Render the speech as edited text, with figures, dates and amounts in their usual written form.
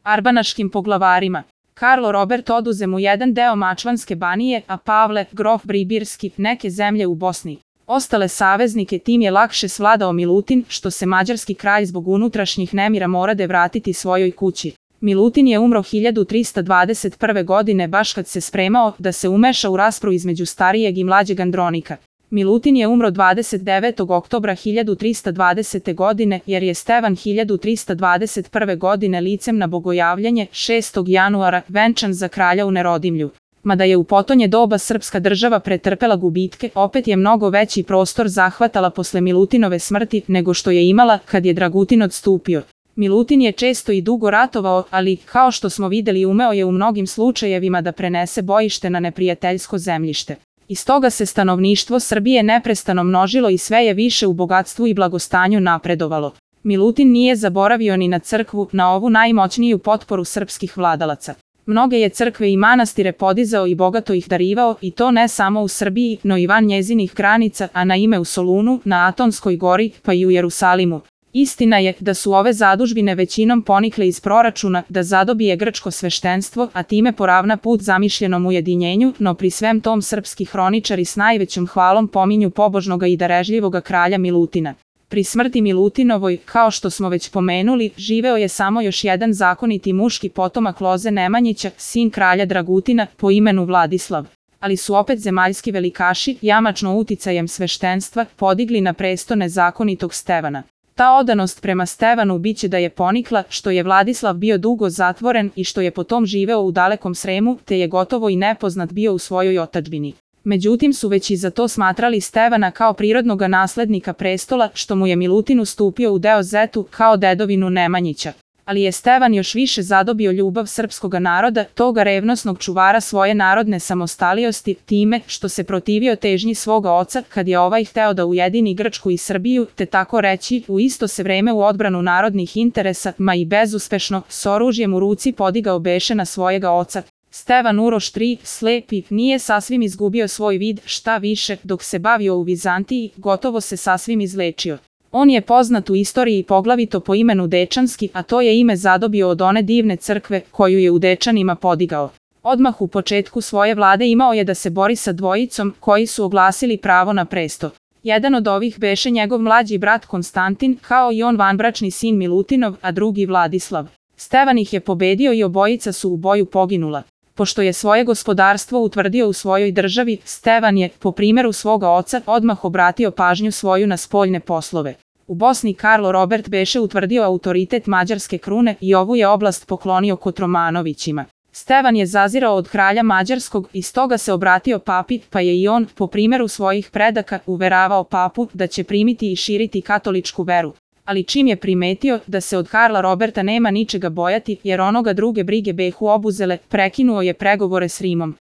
arbanaškim poglavarima. Karlo Robert oduze mu jedan deo Mačvanske banije, a Pavle, grof Bribirski, neke zemlje u Bosni. Ostale saveznike tim je lakše svladao Milutin, što se mađarski kralj zbog unutrašnjih nemira morade vratiti svojoj kući. Milutin je umro 1321. godine baš kad se spremao da se umeša u raspravu između starijeg i mlađeg Andronika. Milutin je umro 29. oktobra 1320. godine jer je Stevan 1321. godine licem na bogojavljanje 6. januara venčan za kralja u Nerodimlju. Mada je u potonje doba srpska država pretrpela gubitke, opet je mnogo veći prostor zahvatala posle Milutinove smrti nego što je imala kad je Dragutin odstupio. Milutin je često i dugo ratovao, ali, kao što smo videli, umeo je u mnogim slučajevima da prenese bojište na neprijateljsko zemljište. Iz toga se stanovništvo Srbije neprestano množilo i sve je više u bogatstvu i blagostanju napredovalo. Milutin nije zaboravio ni na crkvu, na ovu najmoćniju potporu srpskih vladalaca. Mnoge je crkve i manastire podizao i bogato ih darivao, i to ne samo u Srbiji, no i van njezinih granica, a na ime u Solunu, na Atonskoj gori, pa i u Jerusalimu. Istina je da su ove zadužbine većinom ponikle iz proračuna da zadobije grčko sveštenstvo, a time poravna put zamišljenom ujedinjenju, no pri svem tom srpski hroničari s najvećom hvalom pominju pobožnoga i darežljivoga kralja Milutina. Pri smrti Milutinovoj, kao što smo već pomenuli, živeo je samo još jedan zakoniti muški potomak Loze Nemanjića, sin kralja Dragutina, po imenu Vladislav. Ali su opet zemaljski velikaši, jamačno uticajem sveštenstva, podigli na presto nezakonitog Stevana. Ta odanost prema Stevanu biće da je ponikla što je Vladislav bio dugo zatvoren i što je potom živeo u dalekom Sremu, te je gotovo i nepoznat bio u svojoj otadžbini. Međutim su već i za to smatrali Stevana kao prirodnoga naslednika prestola, što mu je Milutin ustupio u deo Zetu kao dedovinu Nemanjića. Ali je Stevan još više zadobio ljubav srpskoga naroda, toga revnosnog čuvara svoje narodne samostaliosti, time što se protivio težnji svoga oca kad je ovaj hteo da ujedini Grčku i Srbiju, te tako reći, u isto se vreme u odbranu narodnih interesa, ma i bezuspešno, s oružjem u ruci podigao beše na svojega oca. Stevan Uroš III, slepi, nije sasvim izgubio svoj vid, šta više, dok se bavio u Vizantiji, gotovo se sasvim izlečio. On je poznat u istoriji poglavito po imenu Dečanski, a to je ime zadobio od one divne crkve koju je u Dečanima podigao. Odmah u početku svoje vlade imao je da se bori sa dvojicom koji su oglasili pravo na presto. Jedan od ovih beše njegov mlađi brat Konstantin, kao i on vanbračni sin Milutinov, a drugi Vladislav. Stevan ih je pobedio i obojica su u boju poginula. Pošto je svoje gospodarstvo utvrdio u svojoj državi, Stevan je, po primjeru svoga oca, odmah obratio pažnju svoju na spoljne poslove. U Bosni Karlo Robert beše utvrdio autoritet mađarske krune i ovu je oblast poklonio Kotromanovićima. Stevan je zazirao od kralja Mađarskog i stoga se obratio papi, pa je i on, po primjeru svojih predaka, uveravao papu da će primiti i širiti katoličku veru. Ali čim je primetio da se od Karla Roberta nema ničega bojati jer onoga druge brige behu obuzele, prekinuo je pregovore s Rimom.